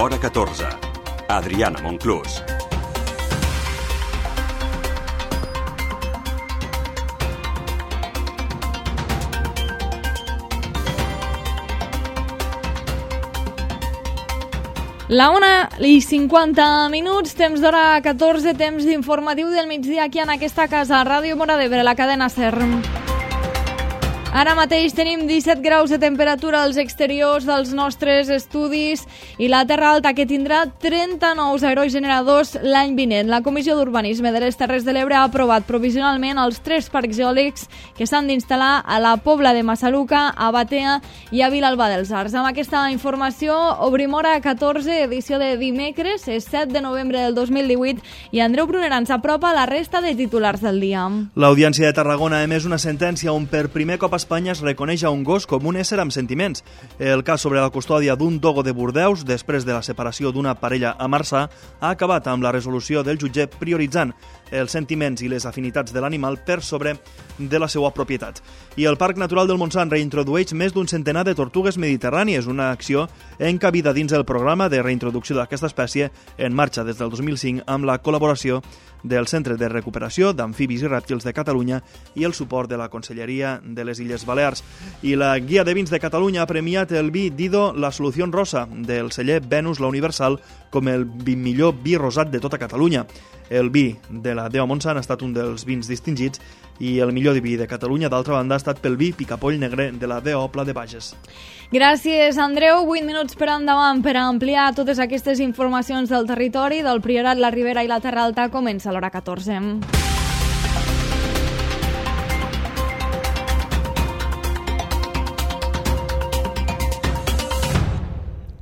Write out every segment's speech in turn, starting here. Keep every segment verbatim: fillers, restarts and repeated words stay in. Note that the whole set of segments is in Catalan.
Hora catorze. Adriana Monclús. La una i cinquanta minuts, temps d'hora catorze, temps d'informatiu del migdia aquí en aquesta casa, Ràdio Móra d'Ebre, la cadena SER. Ara mateix tenim disset graus de temperatura als exteriors dels nostres estudis i la Terra Alta, que tindrà trenta nous aerogeneradors l'any vinent. La Comissió d'Urbanisme de les Terres de l'Ebre ha aprovat provisionalment els tres parcs eòlics que s'han d'instal·lar a la Pobla de Massaluca, a Batea i a Vilalba dels Arcs. Amb aquesta informació obrim Hora catorze, edició de dimecres, és set de novembre del dos mil divuit, i Andreu Brunera ens apropa la resta de titulars del dia. L'Audiència de Tarragona ha emès una sentència on per primer cop a Espanya es reconeix a un gos com un ésser amb sentiments. El cas sobre la custòdia d'un dogo de Bordeus, després de la separació d'una parella a Marçà, ha acabat amb la resolució del jutge prioritzant els sentiments i les afinitats de l'animal per sobre de la seva propietat. I el Parc Natural del Montsant reintrodueix més d'un centenar de tortugues mediterrànies, una acció encabida dins el programa de reintroducció d'aquesta espècie en marxa des del dos mil cinc amb la col·laboració del Centre de Recuperació d'Amfibis i Rèptils de Catalunya i el suport de la Conselleria de les Illes Balears. I la Guia de Vins de Catalunya ha premiat el vi Dido La Solució Rosa del celler Venus La Universal com el millor vi rosat de tota Catalunya. El vi de la Deu Montsant ha estat un dels vins distingits i el millor vi de Catalunya, d'altra banda, ha estat pel vi Picapoll Negre de la Deu Pla de Bages. Gràcies, Andreu. vuit minuts per endavant per ampliar totes aquestes informacions del territori, del Priorat, la Ribera i la Terra Alta. Comença l'Hora catorze.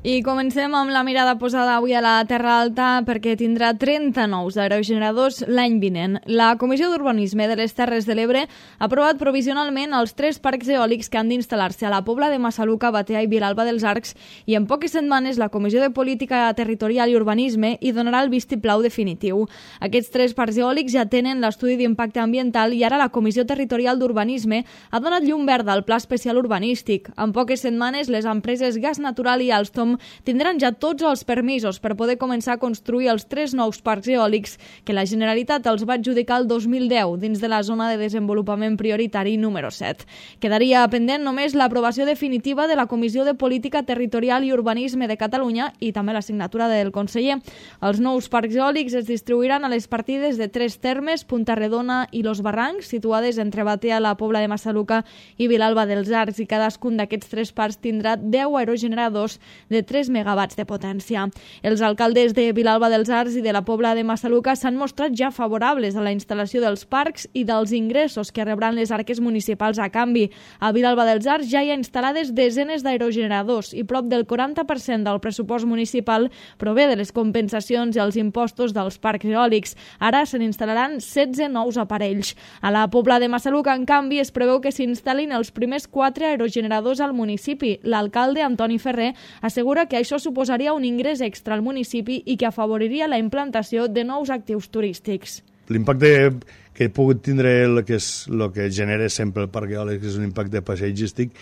I comencem amb la mirada posada avui a la Terra Alta perquè tindrà trenta nous aerogeneradors l'any vinent. La Comissió d'Urbanisme de les Terres de l'Ebre ha aprovat provisionalment els tres parcs eòlics que han d'instal·lar-se a la Pobla de Massaluca, Batea i Vilalba dels Arcs, i en poques setmanes la Comissió de Política Territorial i Urbanisme hi donarà el vistiplau definitiu. Aquests tres parcs eòlics ja tenen l'estudi d'impacte ambiental i ara la Comissió Territorial d'Urbanisme ha donat llum verda al Pla Especial Urbanístic. En poques setmanes les empreses Gas Natural i Alstom tindran ja tots els permisos per poder començar a construir els tres nous parcs eòlics que la Generalitat els va adjudicar el dos mil deu dins de la zona de desenvolupament prioritari número set. Quedaria pendent només l'aprovació definitiva de la Comissió de Política Territorial i Urbanisme de Catalunya i també la signatura del conseller. Els nous parcs eòlics es distribuiran a les partides de tres termes, Punta Redona i Los Barrancs, situades entre Batea, la Pobla de Massaluca i Vilalba dels Arcs, i cadascun d'aquests tres parcs tindrà deu aerogeneradors de tres megawatts de potència. Els alcaldes de Vilalba dels Arcs i de la Pobla de Massaluca s'han mostrat ja favorables a la instal·lació dels parcs i dels ingressos que rebran les arques municipals a canvi. A Vilalba dels Arcs ja hi ha instal·lades desenes d'aerogeneradors i prop del quaranta per cent del pressupost municipal prové de les compensacions i els impostos dels parcs eòlics. Ara se n'instal·laran setze nous aparells. A la Pobla de Massaluca, en canvi, es preveu que s'instal·lin els primers quatre aerogeneradors al municipi. L'alcalde, Antoni Ferrer, assegura que això suposaria un ingrés extra al municipi i que afavoriria la implantació de nous actius turístics. L'impacte que he pogut tindre el que és el que genera sempre el parc eòlic és un impacte paisatgístic,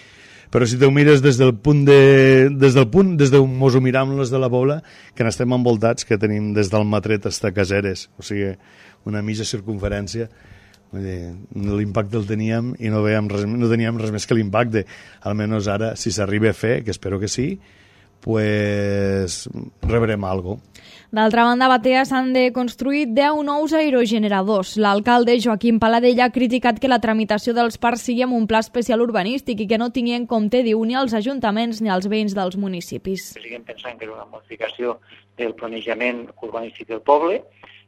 però si t'ho mires des del punt de, des del punt des d'on mos ho miram les de la Pobla, que n'estem envoltats, que tenim des del Matret fins a Caseres, o sigui, una mitja circunferència. L'impacte el teníem i no, veiem res, no teníem res més que l'impacte. Almenys ara, si s'arriba a fer, que espero que sí, pues rebrem algo. D'altra banda, a Batea s'han de construir deu nous aerogeneradors. L'alcalde Joaquim Paladella ha criticat que la tramitació dels parcs sigui amb un pla especial urbanístic i que no tingui en compte, diu, ni els ajuntaments ni els veïns dels municipis. Seguim pensant que és una modificació del planejament urbanístic del poble,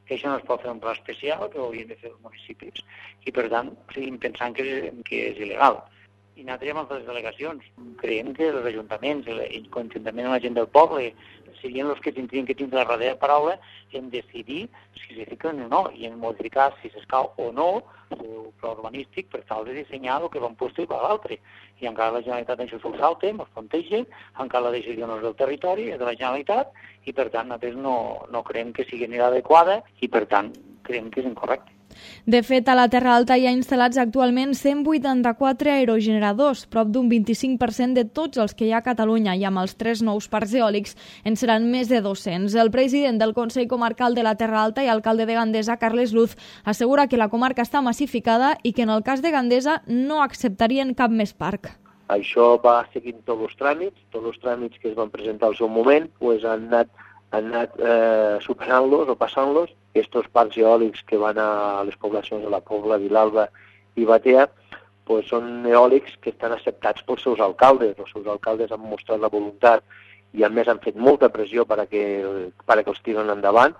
que això no es pot fer un pla especial, que ho haurien de fer els municipis, i per tant seguim pensant que, que és il·legal. I nosaltres amb les delegacions creiem que els ajuntaments, i conjuntament amb la gent del poble, serien els que tindrien que tindre la darrera paraula en decidir si se fiquen o no, i en modificar si s'escau o no el pla urbanístic per tal de dissenyar el que va un lloc i per l'altre. I encara la Generalitat això s'ho salta, ens planteja, encara la decisió no és del territori, és de la Generalitat, i per tant nosaltres no, no creiem que sigui ni adequada i per tant creiem que és incorrecte. De fet, a la Terra Alta hi ha instal·lats actualment cent vuitanta-quatre aerogeneradors, prop d'un vint-i-cinc per cent de tots els que hi ha a Catalunya, i amb els tres nous parcs eòlics en seran més de dos-cents. El president del Consell Comarcal de la Terra Alta i alcalde de Gandesa, Carles Luz, assegura que la comarca està massificada i que en el cas de Gandesa no acceptarien cap més parc. Això va seguint tots els tràmits, tots els tràmits que es van presentar al seu moment, pues han anat han anat eh, superant-los o passant-los. Aquests parcs eòlics que van a les poblacions de la Pobla, Vilalba i Batea pues són eòlics que estan acceptats pels seus alcaldes. Els seus alcaldes han mostrat la voluntat i a més han fet molta pressió per a que, per a que els tiren endavant.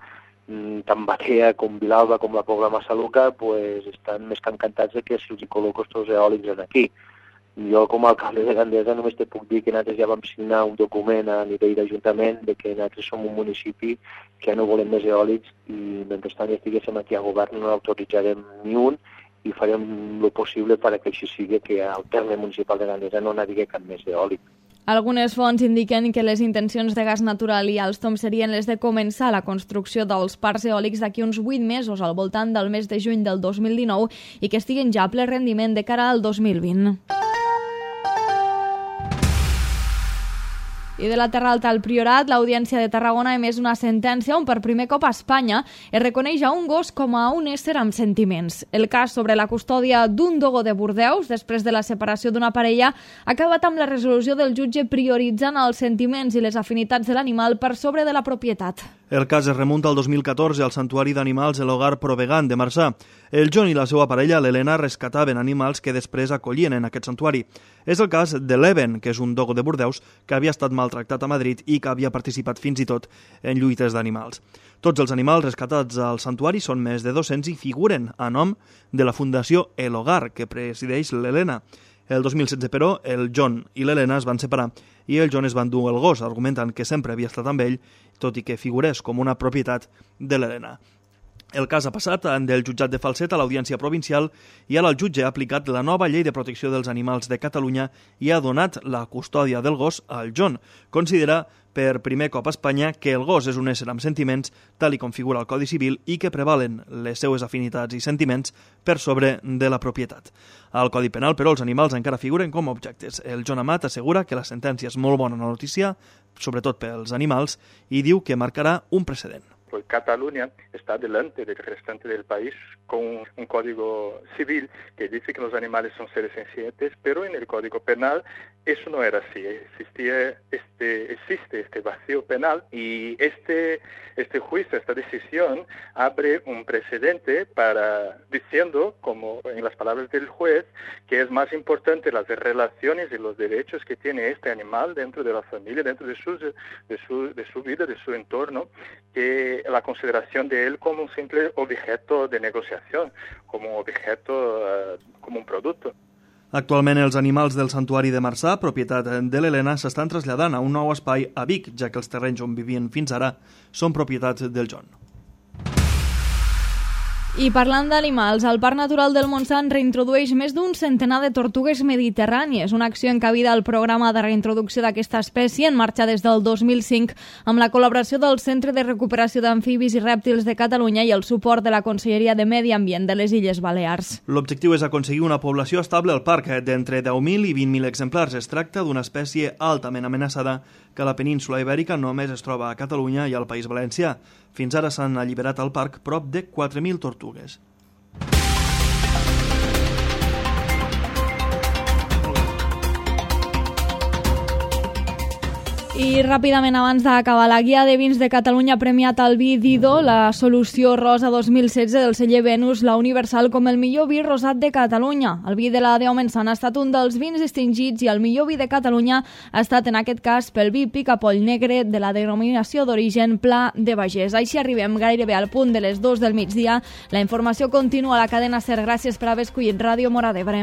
Tant Batea com Vilalba com la Pobla Massaluca pues, estan més que encantats de que se'ls col·loco els eòlics aquí. Jo, com a alcalde de Gandesa, només te puc dir que nosaltres ja vam signar un document a nivell d'Ajuntament de que nosaltres som un municipi que no volem més eòlics i mentrestant estiguéssim aquí a govern no l'autoritzarem ni un i farem el possible perquè així sigui que al terme municipal de Gandesa no n'hi hagi cap més eòlic. Algunes fonts indiquen que les intencions de Gas Natural i Alstom serien les de començar la construcció dels parcs eòlics d'aquí uns vuit mesos, al voltant del mes de juny del dos mil dinou, i que estiguen ja a ple rendiment de cara al dos mil vint. I de la Terra Alta al Priorat, l'Audiència de Tarragona ha emès una sentència on per primer cop a Espanya es reconeix a un gos com a un ésser amb sentiments. El cas sobre la custòdia d'un dogo de Bordeus, després de la separació d'una parella, ha acabat amb la resolució del jutge prioritzant els sentiments i les afinitats de l'animal per sobre de la propietat. El cas es remunta al dos mil catorze al Santuari d'Animals El Hogar Provegan de Marçà. El John i la seva parella, l'Helena, rescataven animals que després acollien en aquest santuari. És el cas de l'Even, que és un dogo de Bordeus que havia estat maltractat a Madrid i que havia participat fins i tot en lluites d'animals. Tots els animals rescatats al santuari són més de dos-cents i figuren a nom de la Fundació El Hogar, que presideix l'Helena. El dos mil setze, però, el John i l'Helena es van separar i el John es va endur el gos, argumentant que sempre havia estat amb ell, tot i que figurés com una propietat de l'Helena. El cas ha passat del jutjat de Falset a l'Audiència Provincial i ara el jutge ha aplicat la nova llei de protecció dels animals de Catalunya i ha donat la custòdia del gos al John. Considera per primer cop a Espanya que el gos és un ésser amb sentiments, tal i com figura al Codi Civil, i que prevalen les seues afinitats i sentiments per sobre de la propietat. Al Codi Penal, però, els animals encara figuren com a objectes. El John Amat assegura que la sentència és molt bona notícia, sobretot pels animals, i diu que marcarà un precedent. Pues Cataluña está delante del restante del país con un código civil que dice que los animales son seres sencientes, pero en el Código Penal eso no era así. Existía este, existe este vacío penal y este, este juicio, esta decisión, abre un precedente para diciendo, como en las palabras del juez, que es más importante las relaciones y los derechos que tiene este animal dentro de la familia, dentro de su, de su, de su vida, de su entorno, que la consideración de él como un simple objeto de negociación, como objeto, uh, como un producto. Actualment els animals del Santuari de Marçà, propietat de l'Helena, s'estan traslladant a un nou espai a Vic, ja que els terrenys on vivien fins ara són propietat del John. I parlant d'animals, el Parc Natural del Montsant reintrodueix més d'un centenar de tortugues mediterrànies, una acció encabida al programa de reintroducció d'aquesta espècie en marxa des del dos mil cinc amb la col·laboració del Centre de Recuperació d'Amfibis i Rèptils de Catalunya i el suport de la Conselleria de Medi Ambient de les Illes Balears. L'objectiu és aconseguir una població estable al parc d'entre deu mil i vint mil exemplars. Es tracta d'una espècie altament amenaçada que a la península Ibèrica només es troba a Catalunya i al País Valencià. Fins ara s'han alliberat al parc prop de quatre mil tortugues. I ràpidament, abans d'acabar, la guia de vins de Catalunya ha premiat el vi Dido, la solució rosa dos mil setze del celler Venus, la Universal, com el millor vi rosat de Catalunya. El vi de la Déu Mensana ha estat un dels vins distingits i el millor vi de Catalunya ha estat, en aquest cas, pel vi Picapoll Negre de la denominació d'origen Pla de Bagès. Així arribem gairebé al punt de les dues del migdia. La informació continua a la cadena SER. Gràcies per haver escollit Ràdio Móra d'Ebre.